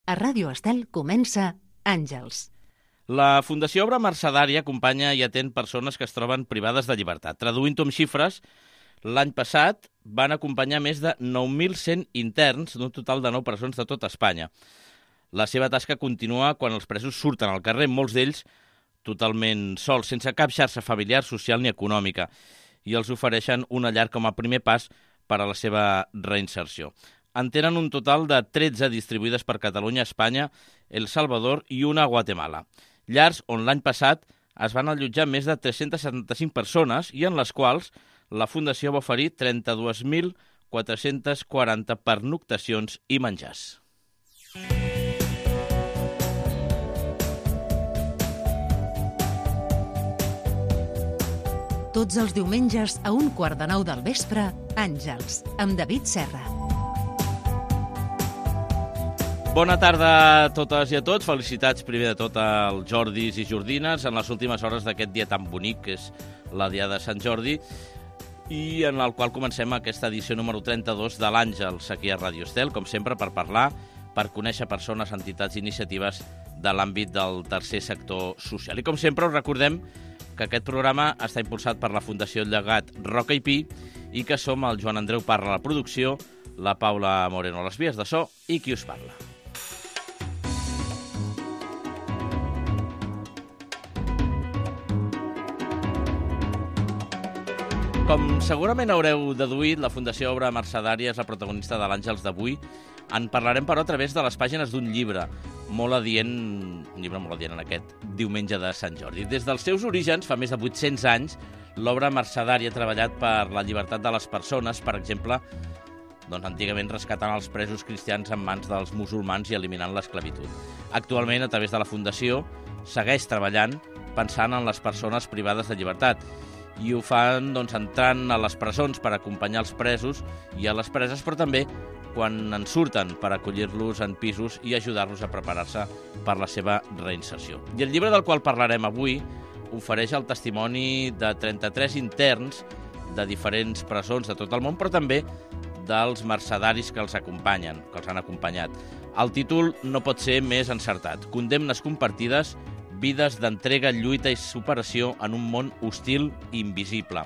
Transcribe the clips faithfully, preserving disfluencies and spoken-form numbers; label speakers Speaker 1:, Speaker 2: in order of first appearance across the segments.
Speaker 1: A Ràdio Estel comença Àngels.
Speaker 2: La Fundació Obra Mercedària acompanya i atén persones que es troben privades de llibertat. Traduint-ho amb xifres, l'any passat van acompanyar més de nou mil cent interns d'un total de nou presons de tot Espanya. La seva tasca continua quan els presos surten al carrer, molts d'ells totalment sols, sense cap xarxa familiar, social ni econòmica, i els ofereixen una llar com a primer pas per a la seva reinserció. En tenen un total de tretze distribuïdes per Catalunya, Espanya, El Salvador i una a Guatemala. Llars on l'any passat es van allotjar més de tres-centes setanta-cinc persones i en les quals la Fundació va oferir trenta-dos mil quatre-cents quaranta pernoctacions i menjars.
Speaker 1: Tots els diumenges a un quart de nou del vespre, Àngels, amb David Serra.
Speaker 2: Bona tarda a totes i a tots. Felicitats primer de tot als Jordis i Jordines en les últimes hores d'aquest dia tan bonic que és la Diada de Sant Jordi i en el qual comencem aquesta edició número trenta-dos de l'Àngels aquí a Ràdio Estel, com sempre per parlar, per conèixer persones, entitats i iniciatives de l'àmbit del tercer sector social. I com sempre us recordem que aquest programa està impulsat per la Fundació Llegat Roca i Pi i que som el Joan Andreu Parra a la producció, la Paula Moreno a les vies de so i qui us parla. Com segurament haureu deduït, la Fundació Obra Mercedària és la protagonista de l'Àngels d'avui. En parlarem, però, a través de les pàgines d'un llibre, molt adient, un llibre molt adient en aquest diumenge de Sant Jordi. Des dels seus orígens, fa més de vuit-cents anys, l'Obra Mercedària ha treballat per la llibertat de les persones, per exemple, doncs, antigament rescatant els presos cristians en mans dels musulmans i eliminant l'esclavitud. Actualment, a través de la Fundació, segueix treballant pensant en les persones privades de llibertat, i ho fan doncs, entrant a les presons per acompanyar els presos i a les preses, però també quan en surten per acollir-los en pisos i ajudar-los a preparar-se per la seva reinserció. I el llibre del qual parlarem avui ofereix el testimoni de trenta-tres interns de diferents presons de tot el món, però també dels mercedaris que els acompanyen, que els han acompanyat. El títol no pot ser més encertat. Condemnes compartides, vides d'entrega, lluita i superació en un món hostil i invisible.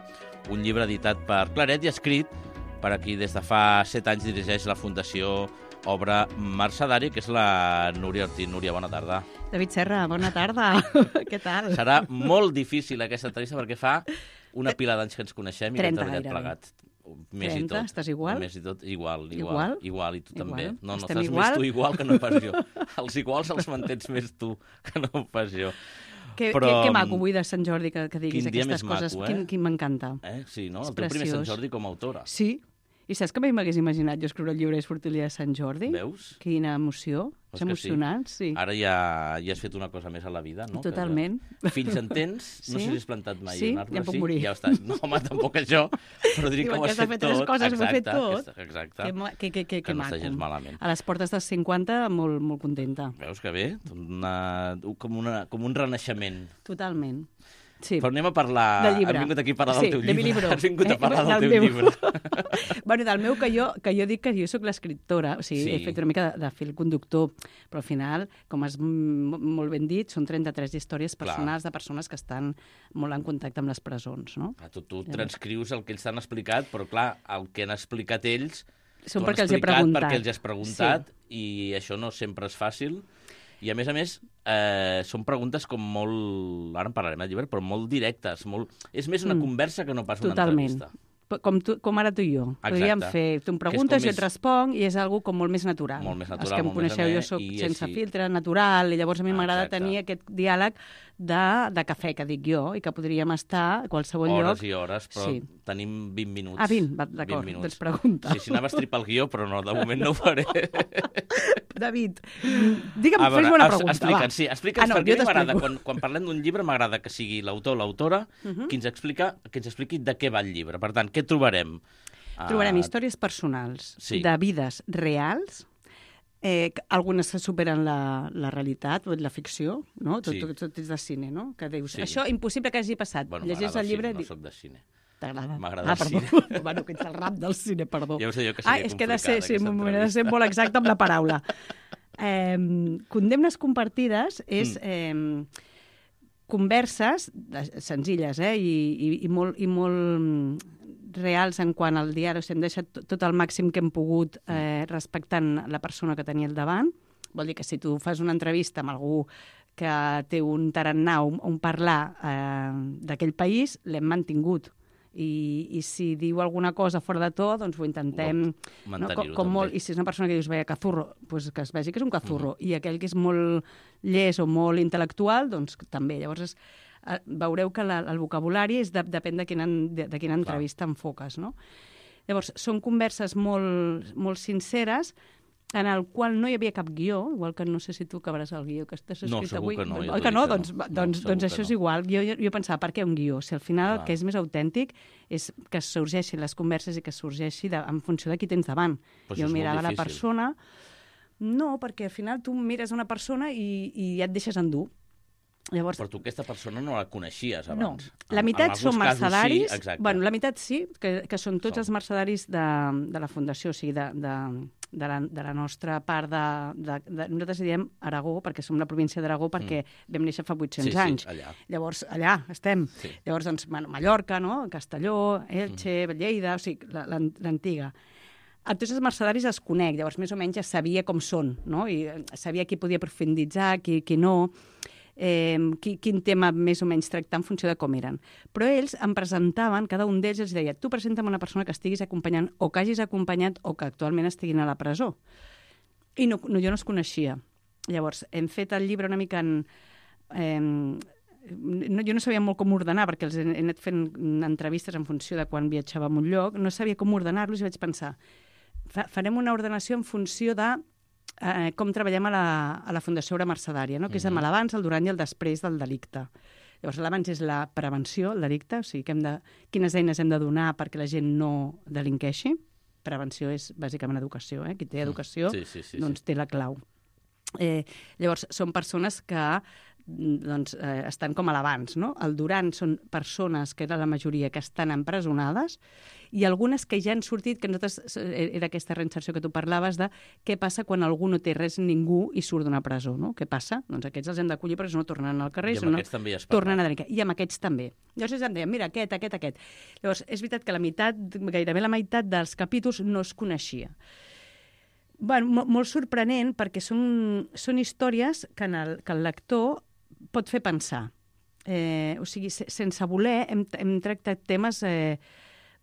Speaker 2: Un llibre editat per Claret i escrit per a qui des de fa set anys dirigeix la Fundació Obra Mercedària, que és la Núria Ortín. Núria, bona tarda.
Speaker 3: David Serra, bona tarda. Què tal?
Speaker 2: Serà molt difícil aquesta entrevista perquè fa una pila d'anys que ens coneixem i que hem treballat plegats. Més
Speaker 3: trenta,
Speaker 2: i tot.
Speaker 3: Estàs igual?
Speaker 2: Més i tot, igual, igual.
Speaker 3: Igual?
Speaker 2: Igual, i tu
Speaker 3: Igual?
Speaker 2: també. No, no,
Speaker 3: Estem
Speaker 2: estàs
Speaker 3: igual?
Speaker 2: més tu igual que no pas jo. Els iguals els mantens més tu que no pas jo.
Speaker 3: Que,
Speaker 2: Però,
Speaker 3: que, que maco avui de Sant Jordi que, que diguis
Speaker 2: quin dia
Speaker 3: aquestes
Speaker 2: més
Speaker 3: coses.
Speaker 2: maco, eh?
Speaker 3: Quin, quin m'encanta.
Speaker 2: Eh? Sí, no?
Speaker 3: És
Speaker 2: El teu primer Sant
Speaker 3: preciós.
Speaker 2: Jordi com a autora.
Speaker 3: Sí. I saps que mai m'hagués imaginat jo escriure el llibre i sortir el dia de Sant Jordi?
Speaker 2: Veus?
Speaker 3: Quina emoció.
Speaker 2: És
Speaker 3: És
Speaker 2: que
Speaker 3: emocionant, sí. sí.
Speaker 2: Ara ja, ja has fet una cosa més a la vida, no?
Speaker 3: Totalment.
Speaker 2: Que ja... Fills en tens? No
Speaker 3: Sí?
Speaker 2: sé si has plantat mai
Speaker 3: Sí?
Speaker 2: un arbre.
Speaker 3: Ja em puc morir.
Speaker 2: Ja està. No, home, tampoc això, però diria que
Speaker 3: Diuen
Speaker 2: ho
Speaker 3: que
Speaker 2: has
Speaker 3: s'ha
Speaker 2: fet
Speaker 3: fet tres
Speaker 2: tot.
Speaker 3: coses, ho he fet
Speaker 2: Exacte,
Speaker 3: tot.
Speaker 2: aquesta- Exacte.
Speaker 3: Que, ma- que, que, que,
Speaker 2: Que
Speaker 3: que
Speaker 2: no està
Speaker 3: maco.
Speaker 2: gens malament.
Speaker 3: A les portes dels cinquanta, molt, molt contenta.
Speaker 2: Veus que bé? Una, com, una, com un renaixement.
Speaker 3: Totalment. Sí.
Speaker 2: Però anem a parlar...
Speaker 3: Del llibre.
Speaker 2: Has vingut aquí a parlar
Speaker 3: Sí,
Speaker 2: del teu
Speaker 3: de mi
Speaker 2: llibre.
Speaker 3: libro.
Speaker 2: Has vingut a
Speaker 3: Eh,
Speaker 2: parlar del,
Speaker 3: del
Speaker 2: teu
Speaker 3: meu.
Speaker 2: llibre.
Speaker 3: Bueno, del meu, que jo, que jo dic que jo sóc l'escriptora, o sigui,
Speaker 2: Sí.
Speaker 3: he fet una mica de, de fil conductor, però al final, com has m- molt ben dit, són trenta-tres històries personals de persones que estan molt en contacte amb les presons, no?
Speaker 2: Clar, tu, tu transcrius el que ells t'han explicat, però clar, el que han explicat ells...
Speaker 3: Són
Speaker 2: t'ho han
Speaker 3: perquè els he
Speaker 2: explicat
Speaker 3: preguntat.
Speaker 2: Perquè els has preguntat, sí. I això no sempre és fàcil. I a més a més, eh, són preguntes com molt... Ara en parlarem del llibre, però molt directes. Molt... És més una
Speaker 3: Mm.
Speaker 2: conversa que no pas una
Speaker 3: Totalment.
Speaker 2: entrevista.
Speaker 3: Com, tu, com ara tu i jo.
Speaker 2: Exacte.
Speaker 3: Podríem fer, tu em
Speaker 2: Que és
Speaker 3: preguntes,
Speaker 2: com
Speaker 3: jo
Speaker 2: més-
Speaker 3: et responc, i és algo com molt més natural.
Speaker 2: Molt més natural,
Speaker 3: Els que em
Speaker 2: molt més
Speaker 3: coneixeu,
Speaker 2: amè,
Speaker 3: jo soc
Speaker 2: i
Speaker 3: sense
Speaker 2: així.
Speaker 3: filtre, natural, i llavors a mi m'agrada
Speaker 2: Exacte.
Speaker 3: tenir aquest diàleg de, de cafè, que dic jo, i que podríem estar a qualsevol
Speaker 2: Hores
Speaker 3: lloc.
Speaker 2: i hores, però
Speaker 3: Sí.
Speaker 2: tenim vint minuts.
Speaker 3: Ah, vint, va, d'acord,
Speaker 2: vint
Speaker 3: doncs
Speaker 2: minuts.
Speaker 3: pregunta.
Speaker 2: Sí, si anaves tripar el guió, però no, de moment no ho faré.
Speaker 3: David, digue'm,
Speaker 2: A veure,
Speaker 3: fes-me una
Speaker 2: es-
Speaker 3: pregunta,
Speaker 2: explica'ns,
Speaker 3: va.
Speaker 2: sí, explica'ns,
Speaker 3: Ah, no,
Speaker 2: perquè
Speaker 3: jo
Speaker 2: a mi m'agrada,
Speaker 3: t'explico.
Speaker 2: quan, quan parlem d'un llibre, m'agrada que sigui l'autor o l'autora
Speaker 3: Uh -huh.
Speaker 2: qui ens explica, que ens expliqui de què va el llibre. Per tant, què trobarem?
Speaker 3: Trobarem
Speaker 2: Ah,
Speaker 3: històries personals
Speaker 2: sí.
Speaker 3: de vides reals, eh, que algunes que superen la, la realitat, o la ficció, no? Tot,
Speaker 2: Sí.
Speaker 3: tot, tot és de cine, no? Que dius,
Speaker 2: Sí.
Speaker 3: això impossible que hagi passat.
Speaker 2: Bueno,
Speaker 3: Llegeix
Speaker 2: m'agrada
Speaker 3: el llibre...
Speaker 2: cine,
Speaker 3: i
Speaker 2: no soc de cine.
Speaker 3: T'agrada?
Speaker 2: M'agrada
Speaker 3: ah,
Speaker 2: el
Speaker 3: perdó.
Speaker 2: cine.
Speaker 3: Bueno, que ets el rap del cine, perdó.
Speaker 2: Ja ho sé jo que
Speaker 3: ah,
Speaker 2: seria
Speaker 3: és que he de ser,
Speaker 2: complicada,
Speaker 3: sí,
Speaker 2: aquesta
Speaker 3: m'he de ser molt exacte amb la paraula. Eh, condemnes compartides és eh, converses de, senzilles eh, i, i, i, molt, i molt reals en quant al diari. O sigui, hem deixat tot, tot el màxim que hem pogut eh, respectant la persona que tenia al davant. Vol dir que si tu fas una entrevista amb algú que té un tarannà, un, un parlar eh, d'aquell país, l'hem mantingut. I, I si diu alguna cosa fora de to, doncs ho intentem... No, com, com molt, I si és una persona que dius, veia, cazurro, doncs que es vegi que és un cazurro. Uh-huh. I aquell que és molt llest o molt intel·lectual, doncs també. Llavors, és, eh, veureu que la, el vocabulari és de, depèn de quina, de, de quina entrevista enfoques, no? Llavors, són converses molt, molt sinceres, en el qual no hi havia cap guió, igual que no sé si tu acabaràs el guió que estàs escrit
Speaker 2: no,
Speaker 3: avui.
Speaker 2: Que no,
Speaker 3: Oi que no? Doncs, no. doncs, doncs això és no. igual. Jo, jo, jo pensava, per què un guió? Si al final Clar. el que és més autèntic és que sorgeixin les converses i que sorgeixi de, en funció de qui tens davant.
Speaker 2: Però
Speaker 3: jo mirava la persona... No, perquè al final tu mires una persona i, i ja et deixes endur. Llavors,
Speaker 2: però tu aquesta persona no la coneixies abans.
Speaker 3: No, la meitat són mercedaris,
Speaker 2: sí,
Speaker 3: bueno, la meitat sí, que, que són tots són. els mercedaris de, de la Fundació, o sigui, de, de, de, la, de la nostra part de, de, de... Nosaltres diem Aragó, perquè som la província d'Aragó, perquè mm. vam néixer fa vuit-cents
Speaker 2: sí,
Speaker 3: anys.
Speaker 2: Sí, allà.
Speaker 3: Llavors, allà estem.
Speaker 2: Sí.
Speaker 3: Llavors, doncs, bueno, Mallorca, no? Castelló, Elche, mm. Lleida, o sigui, l'antiga. A tots els mercedaris els conec, llavors més o menys ja sabia com són, no? I sabia qui podia profunditzar, qui, qui no... Eh, qui, quin tema més o menys tractar en funció de com eren. Però ells em presentaven, cada un d'ells els deia, tu presenta'm una persona que estiguis acompanyant o que hagis acompanyat o que actualment estiguin a la presó. I no, no, jo no els coneixia. Llavors, hem fet el llibre una mica en... Eh, no, jo no sabia molt com ordenar, perquè els he, he anat fent entrevistes en funció de quan viatjava a un lloc, no sabia com ordenar-los i vaig pensar, fa, farem una ordenació en funció de Eh, com treballem a la, a la Fundació Obra Mercedària, no? que és amb l'abans, el durant i el després del delicte. Llavors, l'abans és la prevenció, el delicte, o sigui, que hem de, quines eines hem de donar perquè la gent no delinqueixi. Prevenció és bàsicament educació, eh? Qui té educació
Speaker 2: sí, sí, sí,
Speaker 3: doncs
Speaker 2: sí.
Speaker 3: té la clau. Eh, llavors, són persones que doncs, eh, estan com a l'abans, no? El durant són persones, que era la majoria, que estan empresonades, i algunes que ja han sortit, que nosaltres, era aquesta reinserció que tu parlaves de què passa quan algú no té res, ningú, i surt d'una presó, no? Què passa? Doncs aquests els hem d'acollir perquè no tornen al carrer,
Speaker 2: I amb
Speaker 3: no
Speaker 2: aquests també ja es
Speaker 3: tornen a delinquir. I amb aquests també. Llavors ells em deien, mira, aquest, aquest, aquest. Llavors, és veritat que la meitat, gairebé la meitat dels capítols no es coneixia. Bueno, molt sorprenent, perquè són, són històries que, en el, que el lector pot fer pensar. Eh, o sigui, sense voler, hem, hem tractat temes... Eh,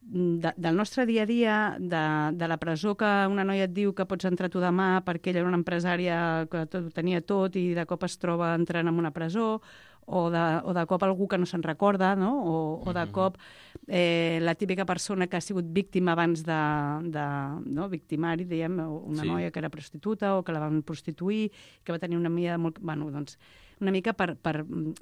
Speaker 3: De, del nostre dia a dia, de, de la presó que una noia et diu que pots entrar tu demà perquè ella era una empresària que tot, tenia tot i de cop es troba entrant en una presó, o de, o de cop algú que no se'n recorda, no? o, o de cop eh, la típica persona que ha sigut víctima abans de, de no? victimari, diguem, una sí. noia que era prostituta o que la van prostituir, que va tenir una mida molt... Bueno, doncs, una mica per, per,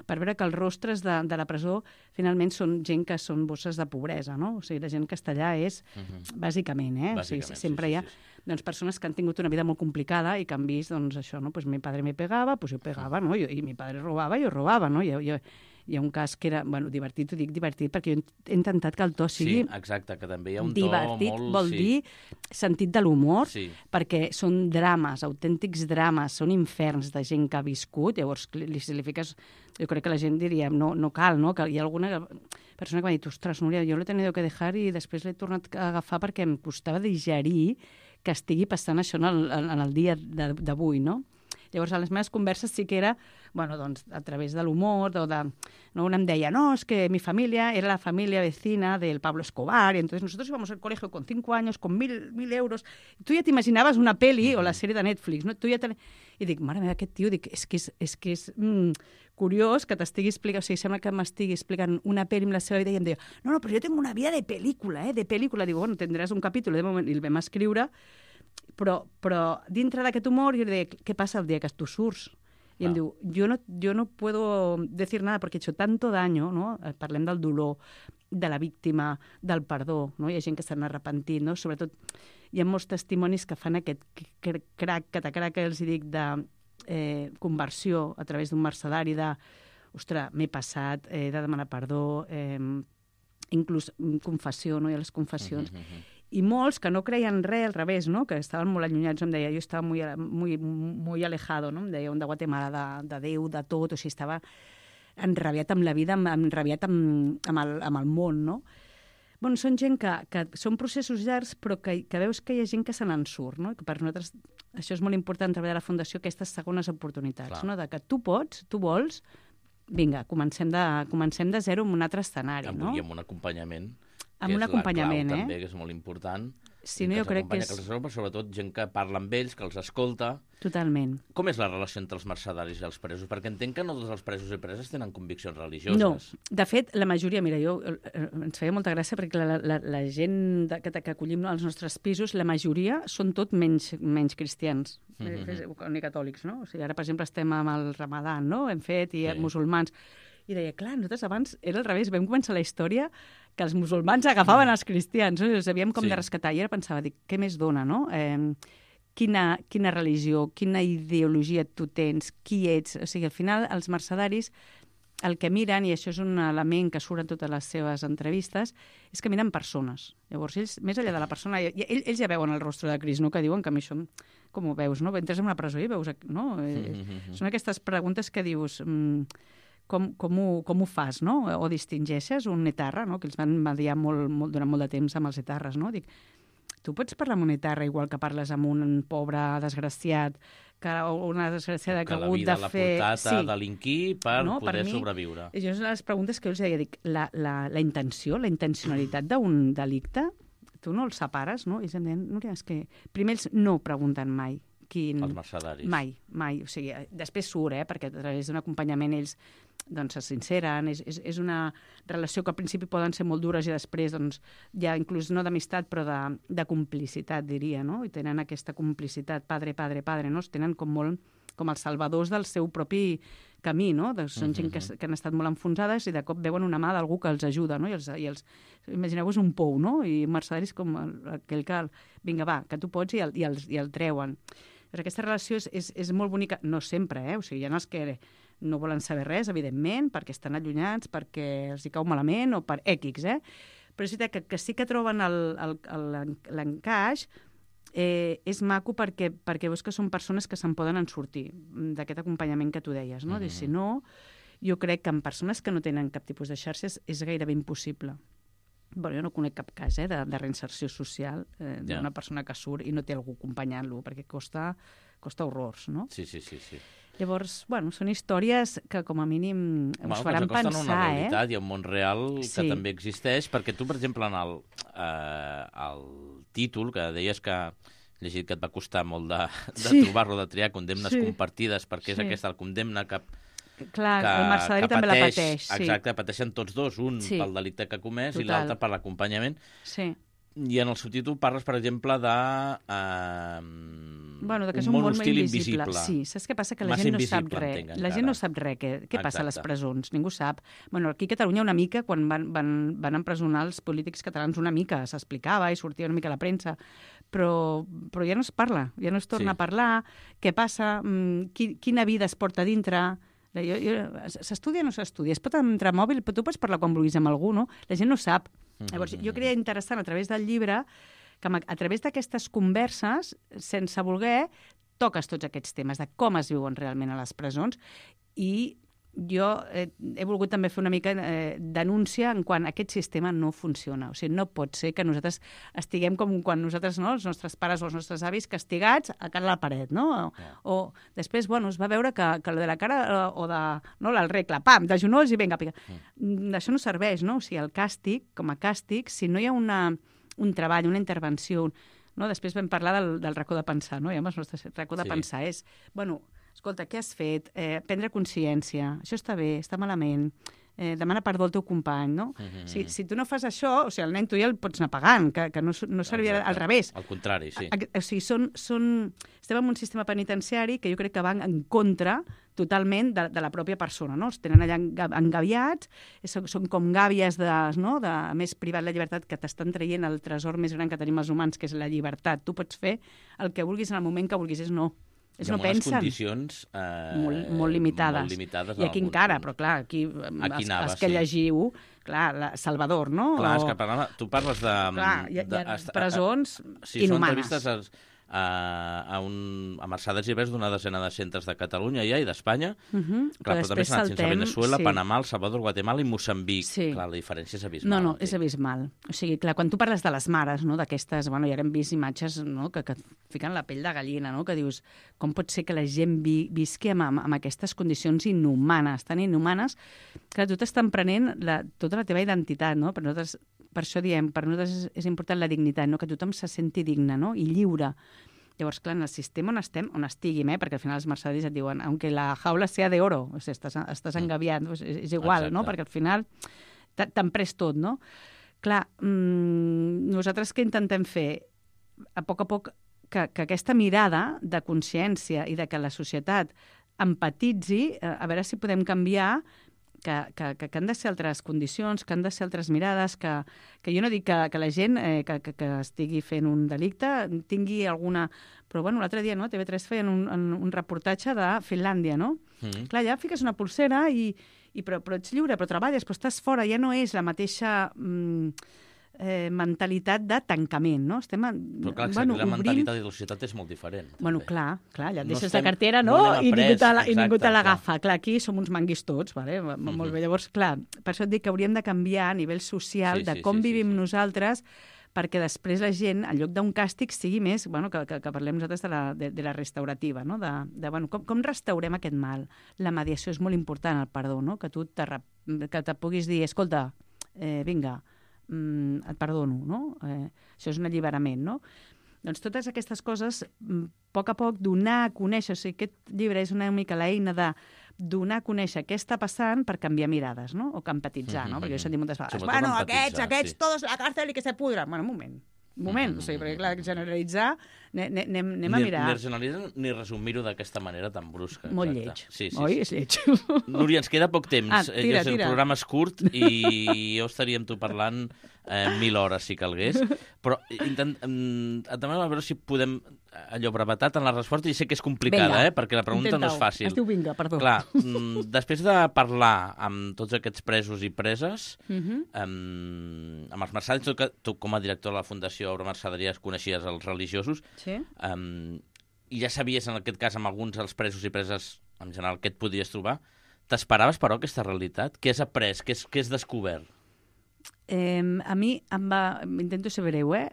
Speaker 3: per veure que els rostres de, de la presó finalment són gent que són bosses de pobresa, no? O sigui, la gent que està allà és, uh-huh. bàsicament, eh?
Speaker 2: Bàsicament,
Speaker 3: o sigui, sempre
Speaker 2: sí,
Speaker 3: hi ha
Speaker 2: sí, sí.
Speaker 3: doncs, persones que han tingut una vida molt complicada i que han vist, doncs, això, no? Pues mi padre me pegava, pues jo pegava, no? I, i mi padre robava, jo robava, no? I, jo, hi ha un cas que era, bueno, divertit, ho dic divertit, perquè jo he intentat que el to sigui...
Speaker 2: Sí, exacte, que també hi ha un
Speaker 3: divertit,
Speaker 2: to molt...
Speaker 3: vol
Speaker 2: sí.
Speaker 3: dir sentit de l'humor,
Speaker 2: sí.
Speaker 3: perquè són drames, autèntics drames, són inferns de gent que ha viscut, llavors li, li, li fiques... Jo crec que la gent diria, no, no cal, no? Que hi ha alguna persona que m'ha dit, ostres, Núria, jo l'he tenido que dejar i després l'he tornat a agafar perquè em costava digerir que estigui passant això en el, en el dia d'avui, no? Llavors, a les meves converses sí que era, bueno, doncs, a través de l'humor, o de... No, una em deia, no, es que mi familia era la familia vecina del Pablo Escobar, y entonces nosotros íbamos al colegio con cinco años, con mil, mil euros. Tu ja t'imaginaves una peli o la sèrie de Netflix, no? Tu ja te... I dic, mare meva, aquest tio, dic, és que és, és, que és mm, curiós que t'estigui explicant, o sigui, sembla que m'estigui explicant una peli amb la seva vida, i em deia, no, no, però jo tengo una vida de pel·lícula, eh, de pel·lícula. Digo, bueno, tindràs un capítol, de moment, i el vam escriure, però, però dintre d'aquest humor jo li deia, què passa el dia que tu surts? I em diu, yo no, yo no puedo decir nada porque he hecho tanto daño, no? Parlem del dolor, de la víctima, del perdó, no? Hi ha gent que s'han arrepentit, no? Sobretot hi ha molts testimonis que fan aquest crac, catacrac, que els dic, de eh, conversió a través d'un mercedari, de, ostres, m'he passat, he de demanar perdó, eh, inclús confessió, no? Hi ha les confessions. Uh-huh, uh-huh. I molts que no creien res, al revés, no? Que estaven molt allunyats, em deia, jo estava muy, muy, muy alejado, no? Em deia, un de Guatemala, de, de Déu, de tot, o sigui, estava enrabiat amb la vida, enrabiat amb, amb, el, amb el món, no? Bueno, són gent que, que són processos llargs, però que, que veus que hi ha gent que se n'en surt, no? Que per nosaltres això és molt important, treballar a la Fundació, aquestes segones oportunitats, Clar. no? De que tu pots, tu vols, vinga, comencem de, comencem de zero en un altre escenari, no?
Speaker 2: I amb un acompanyament,
Speaker 3: amb un acompanyament,
Speaker 2: eh?
Speaker 3: eh?
Speaker 2: també, que és molt important.
Speaker 3: Sí, no, jo crec que és...
Speaker 2: Que els però sobretot gent que parla amb ells, que els escolta.
Speaker 3: Totalment.
Speaker 2: Com és la relació entre els mercedaris i els presos? Perquè entenc que no tots els presos i preses tenen conviccions religioses.
Speaker 3: No, de fet, la majoria, mira, jo, ens feia molta gràcia perquè la, la, la gent de, que, que acollim als nostres pisos, la majoria són tot menys, menys cristians, mm-hmm. ni catòlics, no? O sigui, ara, per exemple, estem amb el Ramadan, no? Hem fet, i sí. musulmans. I deia, clar, nosaltres abans era al revés, vam començar la història que els musulmans agafaven els cristians, no? I els havíem com sí. de rescatar. I ara pensava, dic, què més dona, no? Eh, quina, quina religió, quina ideologia tu tens, qui ets? O sigui, al final, els mercedaris, el que miren, i això és un element que surt en totes les seves entrevistes, és que miren persones. Llavors, ells, més enllà de la persona, ells, ells ja veuen el rostre de Crist, no? Que diuen que a mi això, com ho veus, no? Entres en una presó i veus, no? Mm-hmm. Són aquestes preguntes que dius... Mm, Com, com, ho, com ho fas, no? O distingeixes un etarra, no? Que els van mediar molt, molt, durant molt de temps amb els etarres, no? Dic, tu pots parlar amb un etarra igual que parles amb un pobre desgraciat, que una desgraciada que, que ha hagut de fer...
Speaker 2: Que la vida l'ha portat sí. a delinquir per no? poder per mi, sobreviure.
Speaker 3: I jo les preguntes que jo els deia, dic, la, la, la intenció, la intencionalitat d'un delicte, tu no el separes, no? I ells em deien, Núria, és que primer ells no pregunten mai. Quin...
Speaker 2: Els mercedaris.
Speaker 3: Mai, mai. O sigui, després surt, eh? Perquè a través d'un acompanyament ells doncs, se sinceren. És, és, és una relació que al principi poden ser molt dures i després doncs, ja inclús no d'amistat però de, de complicitat, diria, no? I tenen aquesta complicitat, padre, padre, padre, no? Es tenen com molt com els salvadors del seu propi camí, no? De, són gent que, que han estat molt enfonsades i de cop veuen una mà d'algú que els ajuda, no? I els, i els, imagineu-vos un pou, no? I mercedaris com el, aquell que, vinga, va, que tu pots i el, i el, i el treuen. Però aquesta relació és, és, és molt bonica, no sempre, eh? O sigui, hi ha els que no volen saber res, evidentment, perquè estan allunyats, perquè els hi cau malament o per èquics, eh? Però és veritat que, que sí que troben l'encaix, eh, és maco perquè, perquè veus que són persones que se'n poden en sortir d'aquest acompanyament que tu deies, no? Mm-hmm. Si no, jo crec que en persones que no tenen cap tipus de xarxes és gairebé impossible. Bueno, jo no conec cap cas eh, de, de reinserció social eh, d'una yeah. persona que surt i no té algú acompanyant-lo, perquè costa, costa horrors, no?
Speaker 2: Sí, sí, sí, sí.
Speaker 3: Llavors, bueno, són històries que com a mínim
Speaker 2: bueno,
Speaker 3: us faran pensar,
Speaker 2: una realitat, eh? Hi ha un món real que
Speaker 3: sí.
Speaker 2: també existeix, perquè tu, per exemple, en el, eh, el títol, que deies que he llegit que et va costar molt de, de sí. trobar-lo, de triar condemnes sí. compartides, perquè és sí. aquesta, el condemna que...
Speaker 3: Clar, que, el mercedari també pateix, la pateix. Sí.
Speaker 2: Exacte, pateixen tots dos, un sí. pel delicte que ha comès Total. I l'altre per l'acompanyament.
Speaker 3: Sí.
Speaker 2: I en el subtítol parles, per exemple, de eh,
Speaker 3: bueno, de que
Speaker 2: un
Speaker 3: és un
Speaker 2: món
Speaker 3: món
Speaker 2: hostil
Speaker 3: invisible.
Speaker 2: invisible.
Speaker 3: Sí, saps què passa? Que la
Speaker 2: Massa
Speaker 3: gent no sap
Speaker 2: invisible,
Speaker 3: res.
Speaker 2: entenc,
Speaker 3: la
Speaker 2: encara.
Speaker 3: gent no sap res. Què, què passa a les presons? Ningú sap. Bueno, aquí a Catalunya una mica, quan van, van, van empresonar els polítics catalans, una mica s'explicava i sortia una mica a la premsa, però, però ja no es parla, ja no es torna sí. a parlar. Què passa? Qui, quina vida es porta a dintre? S'estudia o no s'estudia? Es pot entrar mòbil, però tu pots parlar quan vulguis amb algú, no? La gent no sap. Mm-hmm. Llavors, jo creia interessant a través del llibre que a través d'aquestes converses, sense voler, toques tots aquests temes de com es viuen realment a les presons i jo eh, he volgut també fer una mica eh, denúncia en quan aquest sistema no funciona. O sigui, no pot ser que nosaltres estiguem com quan nosaltres, no, els nostres pares o els nostres avis, castigats a cara a la paret, no? O, yeah. o després, bueno, es va veure que, que lo de la cara o de, no, la regla, pam, de genolls i vinga, pica. Mm. Això no serveix, no? O sigui, el càstig, com a càstig, si no hi ha una, un treball, una intervenció, no? Després vam parlar del, del racó de pensar, no? I el nostre racó de sí. pensar és, bueno, escolta, què has fet? Eh, prendre consciència. Això està bé, està malament. Eh, demana perdó al teu company, no? Mm-hmm. Si, si tu no fas això, o sigui, el nen tu ja el pots anar pagant, que, que no, no servirà al revés.
Speaker 2: Al contrari, sí.
Speaker 3: A, o sigui, són, són... estem en un sistema penitenciari que jo crec que van en contra totalment de, de la pròpia persona, no? Els tenen allà engaviats, són, són com gàbies de, no? de més privat la llibertat, que t'estan traient el tresor més gran que tenim els humans, que és la llibertat. Tu pots fer el que vulguis en el moment que vulguis, és no. És
Speaker 2: I
Speaker 3: no
Speaker 2: amb
Speaker 3: pensen.
Speaker 2: unes condicions eh,
Speaker 3: molt, molt limitades.
Speaker 2: Molt limitades
Speaker 3: I aquí encara,
Speaker 2: punts.
Speaker 3: Però clar, aquí,
Speaker 2: aquí
Speaker 3: els,
Speaker 2: anaves,
Speaker 3: els que
Speaker 2: sí.
Speaker 3: llegiu, clar, la Salvador, no?
Speaker 2: Clar,
Speaker 3: o...
Speaker 2: és que parla, tu parles de...
Speaker 3: Clar, hi ha, hi ha
Speaker 2: de,
Speaker 3: presons
Speaker 2: a, a, sí,
Speaker 3: inhumanes.
Speaker 2: Sí, són entrevistes a, a, un, a Mercedes Ibers d'una desena de centres de Catalunya ja i d'Espanya. Uh -huh. Clar, però, però també s'ha anat sense Venezuela, sí. Panamà, El Salvador, Guatemala i Moçambic. Sí. Clar, la diferència és abismal.
Speaker 3: No, no, és abismal. O sigui, clar, quan tu parles de les mares, no, d'aquestes, bueno, ja hem vist imatges, no, que, que fiquen la pell de gallina, no, que dius, com pot ser que la gent vi, visqui amb, amb, amb aquestes condicions inhumanes, tan inhumanes, que tu t'estan prenent la, tota la teva identitat, no? Per nosaltres, per això diem, per nosaltres és, és important la dignitat, no? Que tothom se senti digne, no? I lliure. Llavors, clar, en el sistema on estem, on estiguim, eh? Perquè al final els mercedis et diuen aunque la jaula sea de oro, o sigui, estàs, estàs engaviat, doncs és, és igual, exacte, no? Perquè al final t'han pres tot, no? Clar, mmm, nosaltres què intentem fer? A poc a poc que, que aquesta mirada de consciència i de que la societat empatitzi, a veure si podem canviar que, que, que han de ser altres condicions, que han de ser altres mirades, que, que jo no dic que, que la gent eh, que, que, que estigui fent un delicte tingui alguna... Però, bueno, l'altre dia, no?, a T V tres feien un, un reportatge de Finlàndia, no? Mm. Clar, ja fiques una pulsera i, i però, però ets lliure, però treballes, però estàs fora, ja no és la mateixa... Mm, Eh, mentalitat de tancament, no? Estem,
Speaker 2: però clar, bueno, la obrint... mentalitat de la societat és molt diferent.
Speaker 3: Bueno, també. clar, clar, ja et deixes no estem... la cartera, no? no I, ningú la, I ningú te l'agafa. Clar. clar, aquí som uns manguis tots, vale? Mm-hmm. Molt bé. Llavors, clar, per això et dic que hauríem de canviar a nivell social sí, de com sí, sí, vivim sí, sí. nosaltres perquè després la gent, en lloc d'un càstig, sigui més, bueno, que, que, que parlem nosaltres de la, de, de la restaurativa, no? De, de, bueno, com, com restaurem aquest mal? La mediació és molt important, el perdó, no? Que tu te, que te puguis dir, escolta, eh, vinga, Mm, et perdono, no? Eh, això és un alliberament, no? Doncs totes aquestes coses, a poc a poc, donar a conèixer, o sigui, aquest llibre és una mica l'eina de donar a conèixer què està passant per canviar mirades, no? O que empatitzar, mm-hmm. no? Perquè jo he sentit moltes vegades, Sobretot bueno, aquests, aquests, sí. todos a la cárcel i que se pudra. Bueno, un moment, un moment, mm-hmm. o sigui, perquè clar, generalitzar, anem, anem, anem a mirar.
Speaker 2: Ni, ni generalitzar ni resumir-ho d'aquesta manera tan brusca.
Speaker 3: Molt lleig,
Speaker 2: sí, sí,
Speaker 3: oi?
Speaker 2: Sí.
Speaker 3: És lleig.
Speaker 2: Núria, ens queda poc temps.
Speaker 3: Ah, tira,
Speaker 2: el
Speaker 3: tira.
Speaker 2: programa és curt i jo estaria amb tu parlant eh, mil hores, si calgués. Però intent, eh, també a veure si podem allò brevetat en la resposta, i sé que és complicada,
Speaker 3: vinga,
Speaker 2: eh, perquè la pregunta no és fàcil.
Speaker 3: Es diu vinga, perdó.
Speaker 2: Clar, mm, després de parlar amb tots aquests presos i preses, uh-huh. um, amb els mercedaris, tu, tu com a director de la Fundació Obra Mercedaries coneixies els religiosos, sí. um, i ja sabies en aquest cas amb alguns dels presos i preses en general què et podies trobar. T'esperaves, però, aquesta realitat? Què has après? Què has, què has descobert?
Speaker 3: Eh, a mi em va... Intento ser breu, eh?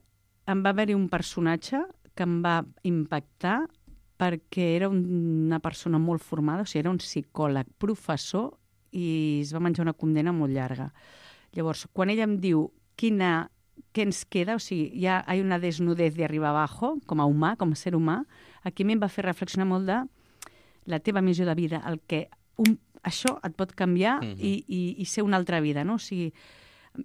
Speaker 3: Em va haver-hi un personatge que em va impactar perquè era una persona molt formada, o sigui, era un psicòleg, professor, i es va menjar una condemna molt llarga. Llavors, quan ella em diu quina, què ens queda, o sigui, ja hi ha una desnudez de arriba abajo, com a humà, com a ser humà, aquí a mi em va fer reflexionar molt de la teva missió de vida, el que un, això et pot canviar mm-hmm. i, i, i ser una altra vida, no? O sigui,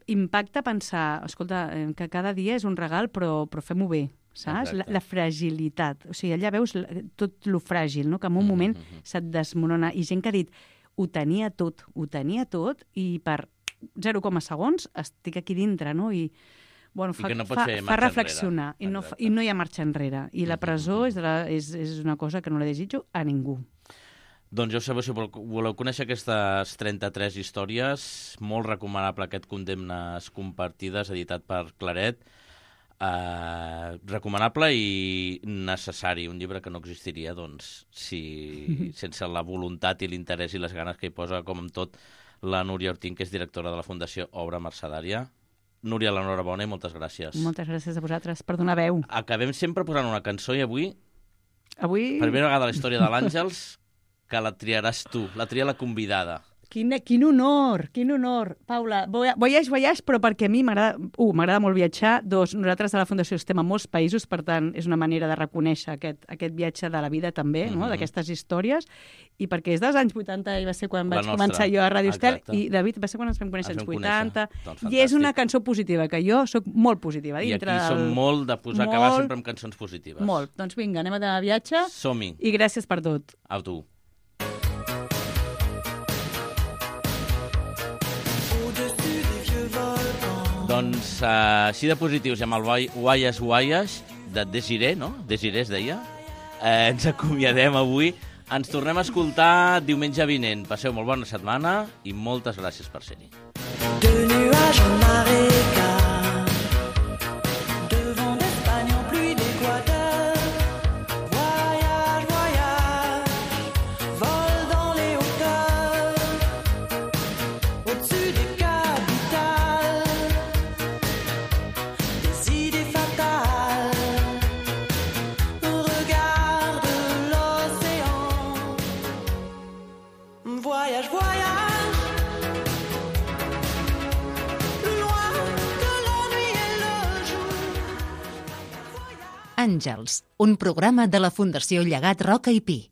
Speaker 3: impacta pensar, escolta, que cada dia és un regal, però, però fem-ho bé, saps? La, la fragilitat. O sigui, allà veus tot lo fràgil, no? Que en un mm-hmm. moment se't desmorona. I gent que ha dit, ho tenia tot, ho tenia tot, i per zero coma segons estic aquí dintre, no? I, bueno, fa,
Speaker 2: I no
Speaker 3: fa, fa reflexionar. I no, I no hi ha marxa enrere. I la presó és, de la, és, és una cosa que no la desitjo a ningú.
Speaker 2: Doncs ja sabeu, si voleu conèixer aquestes trenta-tres històries, molt recomanable aquest Condemnes compartides, editat per Claret. Uh, recomanable i necessari, un llibre que no existiria doncs, si, sense la voluntat i l'interès i les ganes que hi posa, com amb tot, la Núria Ortín, que és directora de la Fundació Obra Mercedària. Núria, l'enhorabona i moltes gràcies.
Speaker 3: Moltes gràcies a vosaltres per donar veu.
Speaker 2: Acabem sempre posant una cançó i avui,
Speaker 3: avui...
Speaker 2: per primera vegada a la història de l'Àngels, que la triaràs tu, la tria la convidada.
Speaker 3: Quin, quin honor, quin honor. Paula, voyage, voyage, però perquè a mi m'agrada, uh, m'agrada molt viatjar. Dos, nosaltres a la Fundació estem a molts països, per tant, és una manera de reconèixer aquest, aquest viatge de la vida també, mm-hmm. no? D'aquestes històries, i perquè és dels anys vuitanta, i va ser quan la vaig nostra. començar jo a Ràdio Estel, i David, va ser quan ens vam conèixer, als vuitanta, doncs, i és una cançó positiva, que jo sóc molt positiva.
Speaker 2: I
Speaker 3: dintre
Speaker 2: aquí som
Speaker 3: del...
Speaker 2: molt de posar molt, acabar sempre amb cançons positives.
Speaker 3: Molt. Doncs vinga, anem a anar a viatge.
Speaker 2: Som-hi.
Speaker 3: I gràcies per tot.
Speaker 2: A tu. Doncs uh, així de positius, amb el Guaies Guaies de Desiré, no? Desiré es deia. Eh, ens acomiadem avui. Ens tornem a escoltar diumenge vinent. Passeu molt bona setmana i moltes gràcies per ser-hi.
Speaker 4: voyage en Arica, de vent d'Espagne en pluie d'Équateur. Voyage, voyage, vol dans les hauteurs, au-dessus des capitales, des idées fatales. Regarde l'océan. Voyage, voyage, plus loin que la nuit et le jour.
Speaker 1: Àngels, un programa de la Fundació Llegat Roca i Pi.